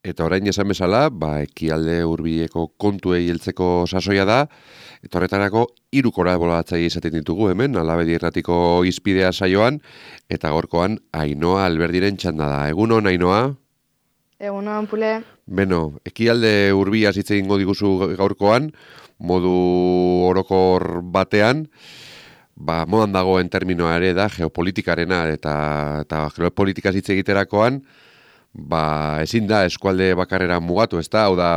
Eta orain esan bezala, ekialde hurbileko kontuei heltzeko sasoia da, eta horretarako 3 kolaboratzaile izaten ditugu hemen, Alabedi Irratiko Hizpidea saioan, eta gaurkoan Ainhoa Alberdiren txanda da. Egunon, Ainhoa? Egunon, Pule. Beno, ekialde hurbilaz hitz egingo diguzu gaurkoan, modu orokor batean, modan dagoen terminoa ere da geopolitikarena, eta geopolitikaz hitz egiterakoan, ezin da eskualde bakarrera mugatu, ezta? Hau da,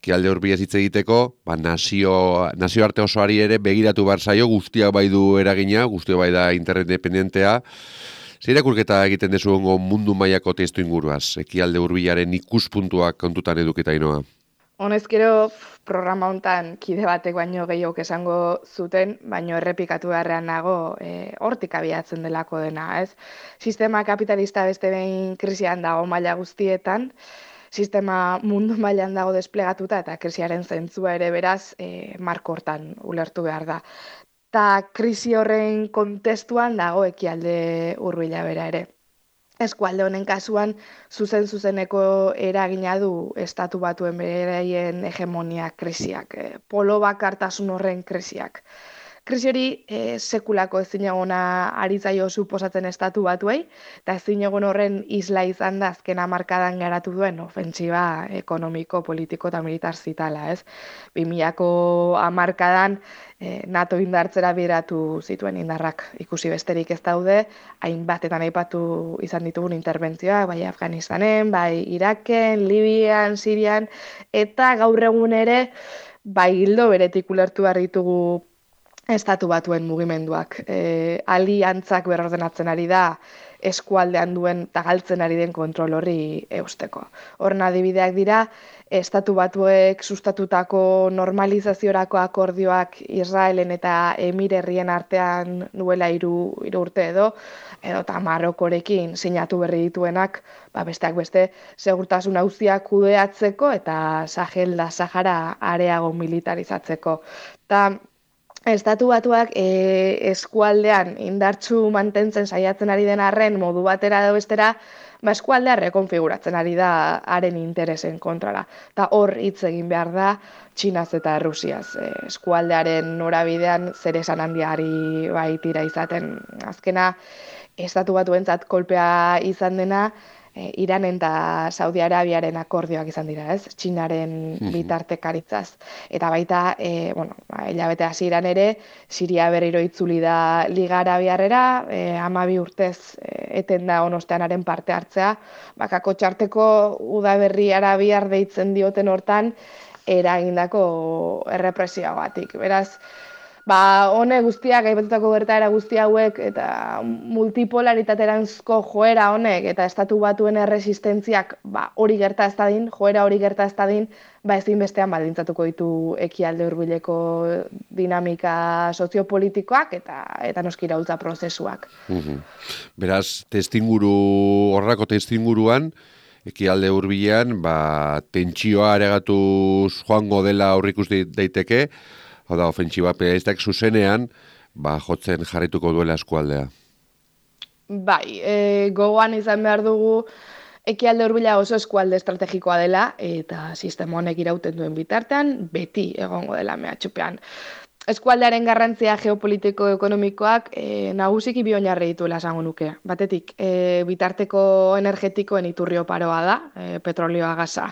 ekialde hurbilaz hitz egiteko, nazioarte osoari ere begiratu behar zaio, guztiak bai du eragina, guztiak bai da interdependentea. Zer irakurketa egiten dezu mundu mailako testu inguruaz, ekialde hurbilaren ikuspuntuak kontutan edukita, Ainhoa? Honezkero programa hontan kide batek baino gehiago esango zuten, baino errepikatu beharrean nago hortik abiatzen delako dena, ez? Sistema kapitalista beste behin krisian dago maila guztietan, sistema mundu mailan dago desplegatuta eta krisiaren zentzua ere beraz marko hortan ulertu behar da. Ta krisi horren kontestuan dago ekialde hurbila bera ere. Eskualde honen kasuan zuzeneko eragina du estatu batuen beraien hegemonia krisiak, polo bakartasun horren krisiak. Krisi hori sekulako ezinegona ari zaio suposatzen estatu batuei, eta ezinegon horren isla izan da azken hamarkadan garatu duen ofentsiba ekonomiko, politiko eta militar zitala, ez? 2000ko hamarkadan NATO indartzera bideratu zituen indarrak ikusi besterik ez daude, hainbatetan aipatu izan ditugun interbentzioak, bai Afganistanen, bai Iraken, Libian, Sirian, eta gaur egun ere, bai hildo beretik ulertu behar ditugu estatu batuen mugimenduak. Aliantzak berordenatzen ari da, eskualdean duen eta galtzen ari den kontrol horri eusteko. Horren adibideak dira, estatu batuek sustatutako normalizaziorako akordioak Israelen eta Emir herrien artean duela 3 urte edo eta Marokorekin sinatu berri dituenak, besteak beste, segurtasun auziak kudeatzeko eta Sahel da Sahara areago militarizatzeko. Eta estatu batuak eskualdean indartsu mantentzen saiatzen ari den arren modu batera edo bestera, eskualdea rekonfiguratzen ari da haren interesen kontrara. Eta hor hitz egin behar da Txinaz eta Errusiaz. Eskualdearen norabidean zer esan handiari baitira izaten. Azkena, estatu batuentzat kolpea izan dena, Iranen eta Saudi Arabiaren akordioak izan dira, ez? Txinaren bitartekaritzaz. Eta baita, hilabete hasieran ere, Siria berriro itzuli da Liga Arabiarrera, 12 urtez eten da onosteanaren parte hartzea, bakako txarteko udaberri arabiar deitzen dioten hortan, eragindako errepresioagatik. Beraz, hone guztiak, aipatutako gertaera guzti hauek, eta multipolaritateranzko joera honek, eta estatu batuen erresistentziak hori gerta ez dadin, joera hori gerta ez dadin, ezinbestean baldintzatuko ditu ekialde hurbileko dinamika soziopolitikoak eta noski iraultza prozesuak. Beraz, horrako testinguruan, ekialde hurbilean, tentsioa areagatuz joango dela aurrikus daiteke, hau da, ofentsiba pedalistak zuzenean, jotzen jarrituko duela eskualdea. Gogoan izan behar dugu ekialde hurbila oso eskualde estrategikoa dela, eta sistema honek irauten duen bitartean, beti egongo dela mehatxupean. Eskualdearen garrantzia geopolitiko-ekonomikoak nagusiki bi oinarri dituela esango nuke. Batetik, bitarteko energetikoen iturri oparoa da, petrolioa, gasa,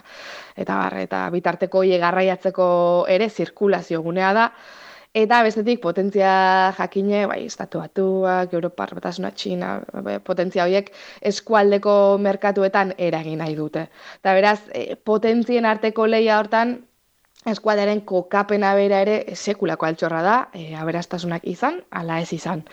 eta bitarteko garraiatzeko ere zirkulazio gunea da, eta bestetik potentzia jakine, estatu batuak, Europar Batasuna, Txina, potentzia horiek eskualdeko merkatuetan eragin nahi dute. Eta beraz, potentzien arteko lehia hortan, eskualdearen kokapena bera ere sekulako altxorra da, aberastasunak izan, ala ez izan.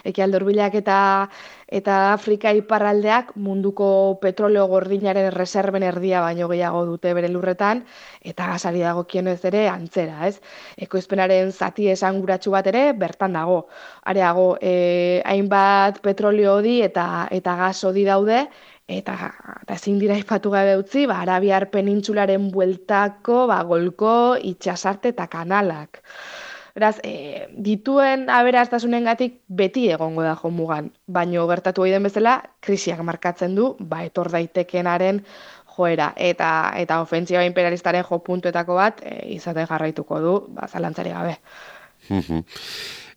Ekialde hurbilak eta Afrika iparraldeak munduko petroleo gordinaren reserben erdia baino gehiago dute bere lurretan, eta gasari dagokienez ere antzera, ez? Ekoizpenaren zati esanguratsu bat ere bertan dago. Areago, hainbat petroleo hodi eta gas hodi daude, eta ezin dira aipatu gabe utzi, Arabiar penintsularen bueltako, golko, itsasarte eta kanalak. Beraz, dituen aberastasunengatik beti egongo da jomugan, baino gertatu den bezala krisiak markatzen du, etor daitekenaren joera, eta ofentsiba imperialistaren jo puntuetako bat izaten jarraituko du, zalantzari gabe.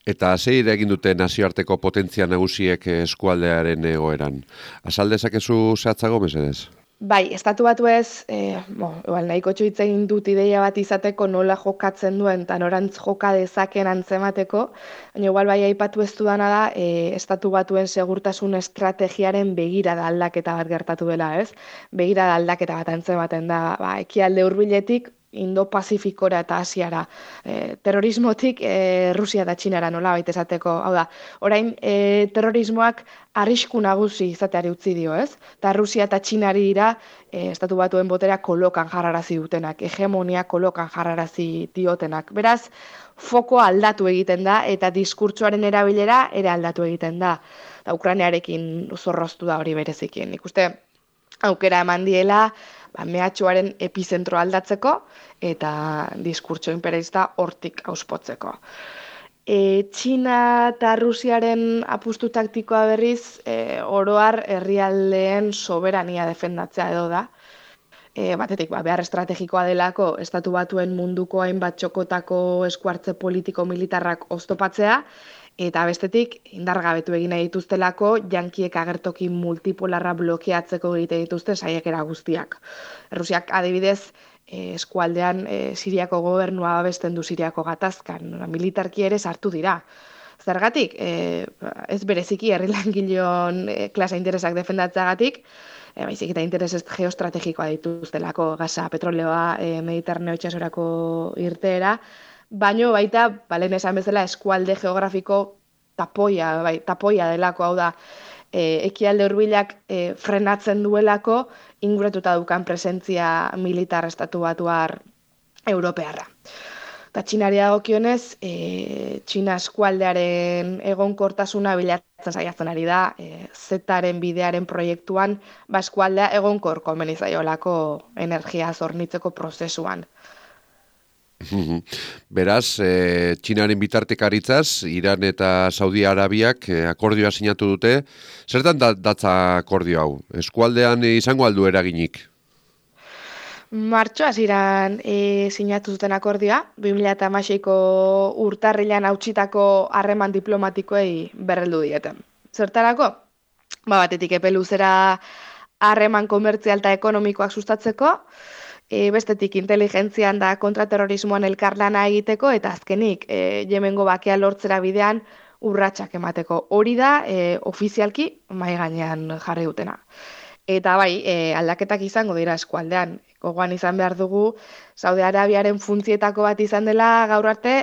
Eta zein egin dute nazioarteko potentzia nagusiek eskualdearen egoeran? Azal dezakezu zehatzago, mesedez? Bai, estatu batu ez, igual nahiko hitz egin dut ideia bat izateko nola jokatzen duen eta norantz joka dezaken antzemateko, baina igual bai aipatu ez dudana da, estatu batuen segurtasun estrategiaren begirada aldaketa bat gertatu dela, ez? Begirada aldaketa bat antzematen da, ekialde hurbiletik Indo-Pazifikora eta Asiara. Terrorismotik Rusia eta Txinara nola baita esateko. Hau da, orain terrorismoak arrisku nagusi izateari utzi dio, ez? Eta Rusia eta Txinari dira estatu batuen botera kolokan jarrarazi dutenak, hegemonia kolokan jarrarazi diotenak. Beraz, fokoa aldatu egiten da eta diskurtsoaren erabilera ere aldatu egiten da. Eta Ukrainiarekin zorroztu da hori berezikien. Ikuste aukera eman diela, mehatxuaren epizentro aldatzeko eta diskurtso imperialista hortik auspotzeko. Txina eta Rusiaren apustu taktikoa berriz, oroar herrialdeen soberania defendatzea edo da. Batetik, behar estrategikoa delako estatu batuen munduko hainbat txokotako eskuartze politiko-militarrak oztopatzea, eta bestetik, indargabetu egin nahi dituztelako, jankiek agertoki multipolarra blokeatzeko egite dituzte saiakera guztiak. Rusiak adibidez, eskualdean Siriako gobernua babesten du Siriako gatazkan, militarki ere sartu dira. Zergatik, ez bereziki herri langileon klase interesak defendatzeagatik, baizik eta interes geostrategikoa dituztelako, gasa, petroleoa, Mediterraneo itsasorako irteera, baino baita, balen esan bezala, eskualde geografiko tapoia delako, hau da, ekialde hurbilak frenatzen duelako, inguratuta dukan presentzia militar estatu batuar europearra. Eta Txinari dagokionez, Txina eskualdearen egonkortasuna bilatzen saiatzen ari da, Zetaren bidearen proiektuan, eskualdea egonkor komeni zaiolako energia zornitzeko prozesuan. Beraz, Txinaren bitartekaritzaz, Iran eta Saudi Arabiak akordioa sinatu dute. Zertan datza akordio hau? Eskualdean izango aldu eraginik? Martxoaz iran sinatu zuten akordioa, 2016ko urtarrilan hautsitako harreman diplomatikoei berreldu dieten. Zertarako? Batetik epe luzera harreman komertzial eta ekonomikoak sustatzeko, bestetik inteligentzian da kontraterrorismoan elkarlana egiteko, eta azkenik Yemengo bakea lortzera bidean urratsak emateko. Hori da ofizialki mahai gainean jarri dutena. Eta bai, aldaketak izango dira eskualdean. Gogoan izan behar dugu, Saudi Arabiaren funtzietako bat izan dela gaur arte,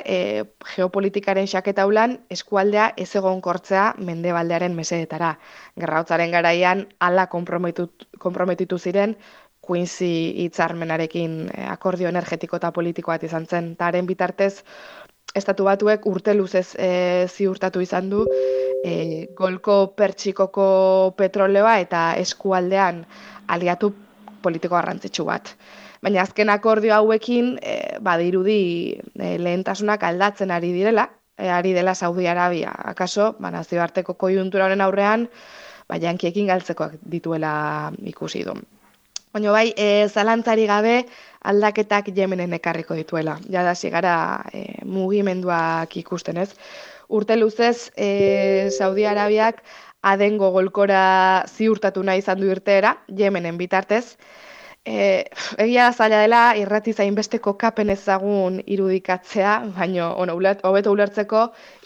geopolitikaren xaketaulan eskualdea ez egonkortzea mendebaldearen mesedetara. Gerraotzaren garaian hala konprometitu ziren Quincy hitzarmenarekin akordio energetiko eta politiko bat izan zen. Taren bitartez, estatu batuek urte luzez ziurtatu izan du Golko Pertsikoko petroleoa eta eskualdean aliatu politiko garrantzitsu bat. Baina azken akordio hauekin badirudi lehentasunak aldatzen ari direla, ari dela Saudi Arabia. Akaso, nazioarteko koiuntura honen aurrean, jankiekin galtzekoak dituela ikusi du. Baina bai, zalantzari gabe aldaketak Yemenen ekarriko dituela. Jada zigara mugimenduak ikusten ez. Urte luzez, Saudi Arabiak Adengo golkora ziurtatu nahi izan du irteera, Yemenen bitartez. Egia da zaila dela, irrati zainbeste kokapen ezagun irudikatzea, baina hobeto ulertzeko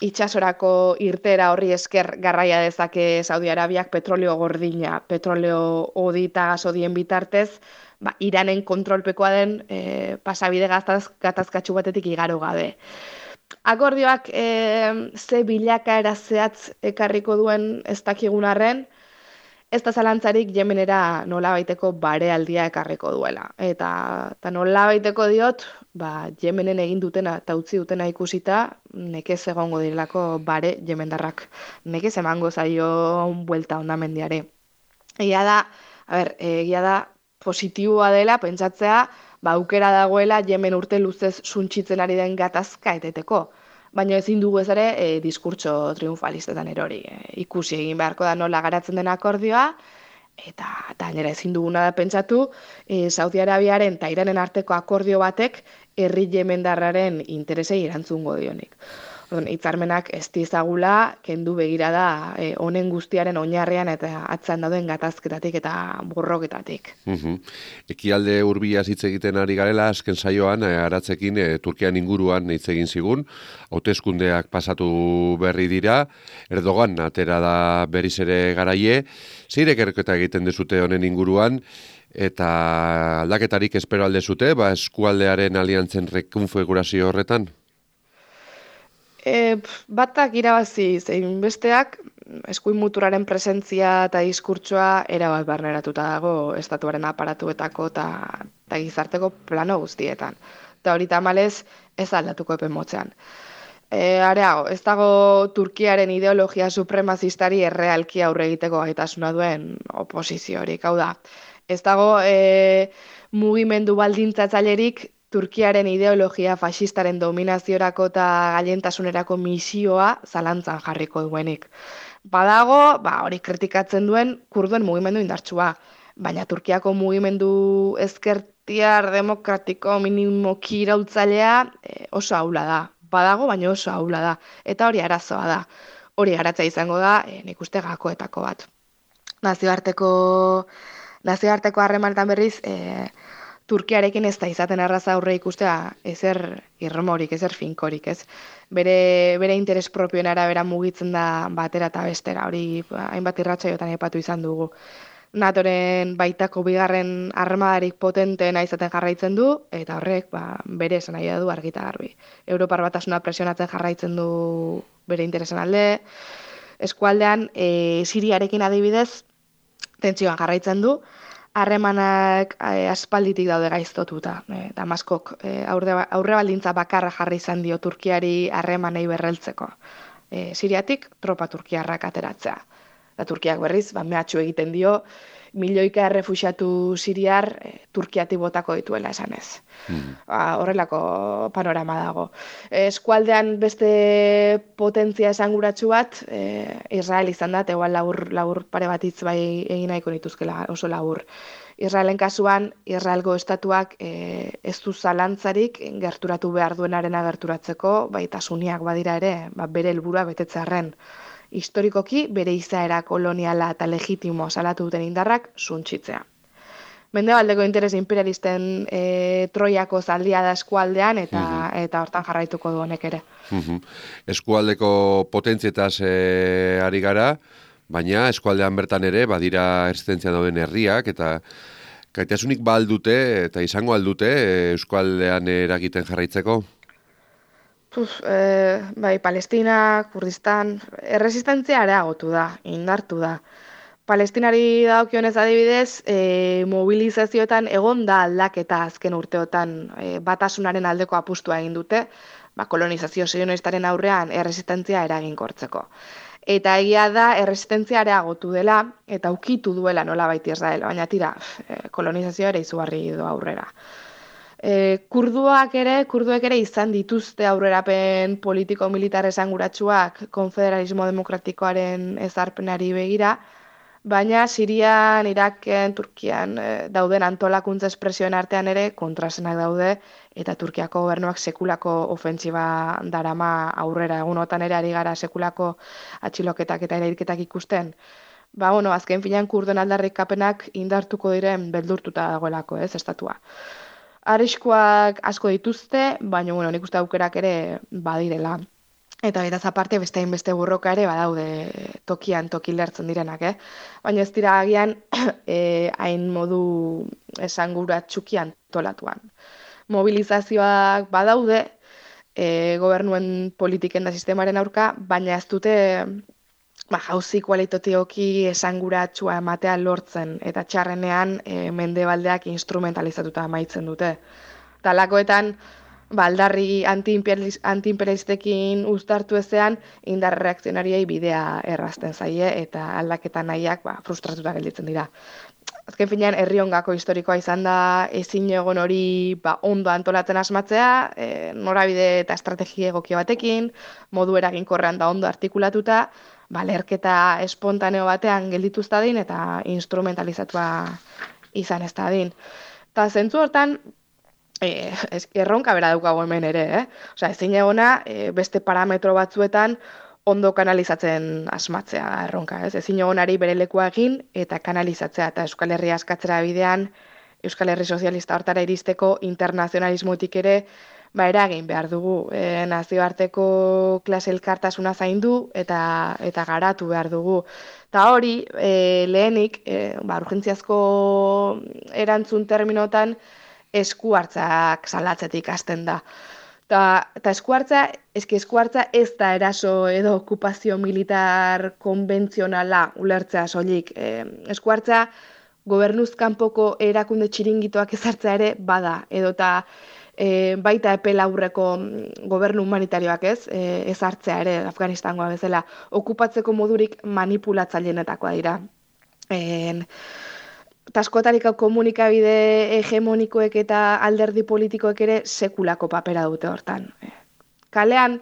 itsasorako irteera horri esker garraia dezake Saudi Arabiak petroleo gordina, petroleo hodi eta gasodien bitartez, Iranen kontrolpekoa den pasabide gatazkatsu batetik igaro gabe. Akordioak ze bilakaera zehatz ekarriko duen ez dakigun arren, ez da zalantzarik Yemenera nolabaiteko barealdia ekarriko duela. Eta nolabaiteko diot, Yemenen egin dutena eta utzi dutena ikusita, nekez egongo direlako bare yemendarrak. Nekez emango zaio buelta hondamendiare. Egia da positiboa dela, pentsatzea, aukera dagoela Yemen urte luzez suntsitzen ari den gatazka eteteko. Baina ezin dugu ez diskurtso triunfalistetan erori. Ikusi egin beharko da nola garatzen den akordioa, eta gainera ezin duguna da pentsatu, Saudi Arabiaren eta Iranen arteko akordio batek herri jemendarraren interesei erantzungo dionik. Hitzarmenak ez dizagula kendu begirada honen guztiaren oinarrian eta atzan dauden gatazketatik eta borroketatik. Ekialde hurbilaz hitz egiten ari garela, azken saioan, aratzekin Turkian inguruan hitz egin zigun, hauteskundeak pasatu berri dira, Erdogan atera da berriz ere garaie, zein ikerketa egiten dezute honen inguruan, eta aldaketarik espero alde zute, eskualdearen aliantzen rekonfigurazio horretan? Batak irabazi zein besteak, eskuin muturaren presentzia eta diskurtsoa erabat barneratuta dago estatuaren aparatuetako eta gizarteko plano guztietan. Eta hori tamalez ez aldatuko epe motzean. Areago, ez dago Turkiaren ideologia supremazistari errealki aurre egiteko gaitasuna duen oposiziorik. Hau da, ez dago mugimendu baldintzatzailerik Turkiaren ideologia faxistaren dominaziorako eta gailentasunerako misioa zalantzan jarriko duenik. Badago, hori kritikatzen duen kurduen mugimendu indartsua, baina Turkiako mugimendu ezkertiar demokratiko minimoki iraultzailea oso ahula da. Badago, baina oso ahula da. Eta hori arazoa da. Hori garatza izango da, nik uste gakoetako bat. Nazioarteko harremanetan berriz, Turkiarekin ez da izaten erraza aurre ikustea ezer irmorik, ezer finkorik, ez? Bere interes propioen arabera mugitzen da batera eta bestera, hori hainbat irratsaiotan aipatu izan dugu. NATOren baitako bigarren armadarik potenteena izaten jarraitzen du, eta horrek bere esan nahi du argita garbi. Europar Batasuna presionatzen jarraitzen du bere interesen alde, eskualdean Siriarekin adibidez tentsioan jarraitzen du, harremanak aspalditik daude gaiztotuta. Damaskok aurre baldintza bakarra jarri izan dio Turkiari harremanei berreltzeko. Siriatik tropa turkiarrak ateratzea. Eta Turkiak berriz, mehatxu egiten dio, milioika errefuxiatu siriar Turkiatik botako dituela esanez. Horrelako panorama dago. Eskualdean beste potentzia esanguratsu bat, Israel izan da, igual labur pare bat hitz bai egin nahiko nituzkela oso labur. Israelen kasuan, Israelgo estatuak ez du zalantzarik gerturatu behar duenarena gerturatzeko, baita suniak badira ere, bere helburua betetzearren. Historikoki bere izaera koloniala eta legitimo salatu duten indarrak suntsitzea. Mendebaldeko interes imperialisten Troiako zaldia da eskualdean eta hortan jarraituko du honek ere. Eskualdeko potentzietaz ari gara, baina eskualdean bertan ere badira errezistentzia dauden herriak eta gaitasunik aldute eta izango aldute eskualdean eragiten jarraitzeko? Palestina, Kurdistan, erresistentzia areagotu da, indartu da. Palestinari dagokionez adibidez, mobilizazioetan egon da aldaketa azken urteotan batasunaren aldeko apustua egin dute, kolonizazio sionistaren aurrean erresistentzia eraginkortzeko. Eta egia da erresistentzia areagotu dela eta ukitu duela nolabait Israel, baina tira, kolonizazioa ere izugarri du aurrera. Kurduek ere izan dituzte aurrerapen politiko-militar esanguratsuak konfederalismo demokratikoaren ezarpenari begira, baina Sirian, Iraken, Turkian dauden antolakuntza espresioen artean ere kontrasenak daude eta Turkiako gobernuak sekulako ofentsiba darama aurrera egunotan ere ari gara sekulako atxiloketak eta erailketak ikusten. Azken finean kurduen aldarrikapenak indartuko diren beldurtuta dagoelako, estatua. Arriskuak asko dituzte, baina nik uste aukerak ere badirela. Eta beraz aparte beste burroka ere badaude tokian toki lertzen direnak, Baina ez dira agian hain modu esanguratsuki antolatuan. Mobilizazioak badaude gobernuen politiken da sistemaren aurka, baina ez dute jauzi kualitatioki esanguratsua ematea lortzen eta txarrenean mendebaldeak instrumentalizatuta amaitzen dute. Talakoetan aldarri antiimperialistekin uztartu ezean indar reakzionariei bidea errazten zaie eta aldaketa nahiak frustratuta gelditzen dira. Azken finean herri hongako historikoa izan da ezin egon hori ondo antolatzen asmatzea, norabide eta estrategia egokia batekin, modu eraginkorrean da ondo artikulatuta, lerketa espontaneo batean geldituz dadin eta instrumentalizatua izan ez dadin. Eta zentzu hortan, erronka bera daukago hemen ere, Osea, ezin egona beste parametro batzuetan ondo kanalizatzen asmatzea da erronka, ez? Ezin egonari bere lekua egin eta kanalizatzea, eta Euskal Herria askatzera bidean, Euskal Herri Sozialista hortara iristeko internazionalismotik ere, eragin behar dugu. Nazioarteko klase elkartasuna zaindu eta garatu behar dugu. Eta hori, lehenik, urgentziazko erantzun terminotan, eskuartzak salatzetik hasten da. Eta eskuartza ez da eraso edo okupazio militar konbentzionala ulertzea soilik. Eskuartza gobernuz kanpoko erakunde txiringitoak ezartzea ere bada, edota baita epe laburreko gobernu humanitarioak ezartzea ere Afganistangoa bezala, okupatzeko modurik manipulatzaileetakoa dira. Eta askotariko komunikabide hegemonikoek eta alderdi politikoek ere sekulako papera dute hortan. Kalean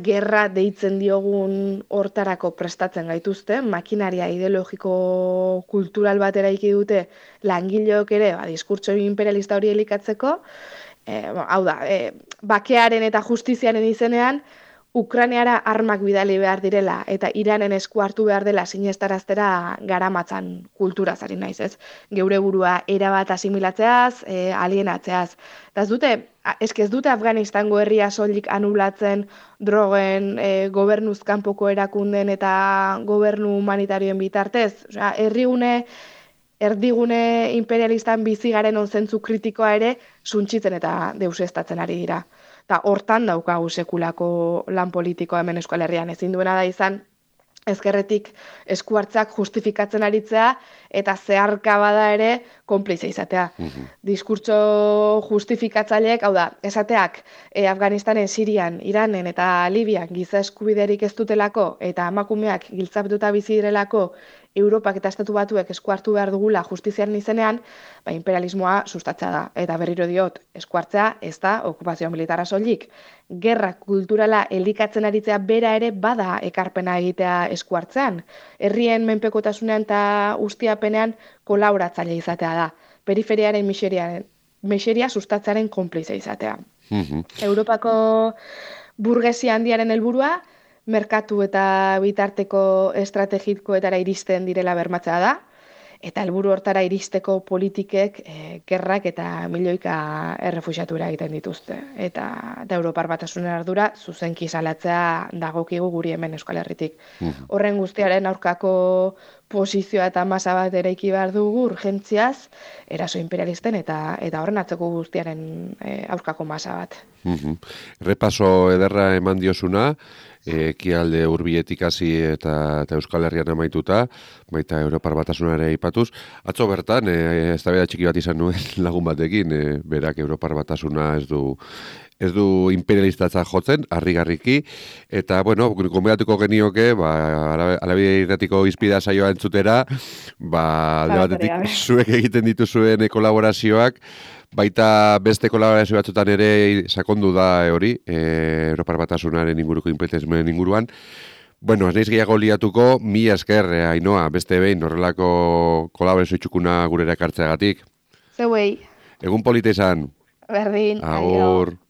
gerra deitzen diogun hortarako prestatzen gaituzte, makinaria ideologiko kultural bat eraiki dute langileok ere, diskurtso imperialista hori elikatzeko, hau da, bakearen eta justiziaren izenean, Ukrainiara armak bidali behar direla eta Iranen esku hartu behar dela sinestaraztera garamatzan kulturaz ari naiz, ez? Geure burua erabat asimilatzeaz, alienatzeaz. Eta ez dute Afganistango herria soilik anulatzen drogen gobernuz kanpoko erakunden eta gobernu humanitarioen bitartez. Osea, erdigune imperialistan bizi garen onzentzu kritikoa ere suntsitzen eta deusestatzen ari dira. Eta hortan daukagu sekulako lan politikoa hemen Euskal Herrian, ezin duena da izan ezkerretik eskuartzak justifikatzen aritzea eta zeharka bada ere konplize izatea. Diskurtso justifikatzaileek, hau da, esateak Afganistanen, Sirian, Iranen eta Libian giza eskubiderik ez dutelako eta emakumeak giltzaptuta bizi direlako Europak eta Estatu Batuek esku hartu behar dugula justiziaren izenean, imperialismoa sustatzea da. Eta berriro diot, esku hartzea ez da okupazio militarra soilik. Gerra kulturala elikatzen aritzea bera ere bada ekarpena egitea esku hartzean. Herrien menpekotasunean eta ustiapenean kolaboratzaile izatea da. Periferiaren miseria sustatzearen konplize izatea. Europako burgesia handiaren helburua merkatu eta bitarteko estrategikoetara iristen direla bermatzea da, eta helburu hortara iristeko politikek gerrak eta milioika errefuxiatura egiten dituzte. Eta Europar Batasunen ardura zuzenki salatzea dagokigu guri hemen Euskal Herritik. Horren guztiaren aurkako posizioa eta masa bat eraiki behar dugu urgentziaz, eraso imperialisten eta horren atzeko guztiaren aurkako masa bat. Repaso ederra eman diosuna, ekialde hurbiletik hasi eta Euskal Herrian amaituta, baita Europar Batasunare aipatuz. Atzo bertan, eztabaida txiki bat izan nuen lagun batekin, berak Europar Batasuna ez du imperialistatza jotzen, harrigarriki, eta, bueno, konbidatuko genioke, Alabide Irratiko Izpida saioa entzutera, alde batetik zuek egiten dituzuen kolaborazioak, baita beste kolaborazio batzutan ere sakondu da hori, Europar Batasunaren inguruko imperialismoen inguruan. Bueno, ez naiz gehiago liatuko, mila esker, Ainhoa, beste behin horrelako kolaborazio txukuna gurera ekartzeagatik. Zeuei. Egun polita izan. Berdin. Agur.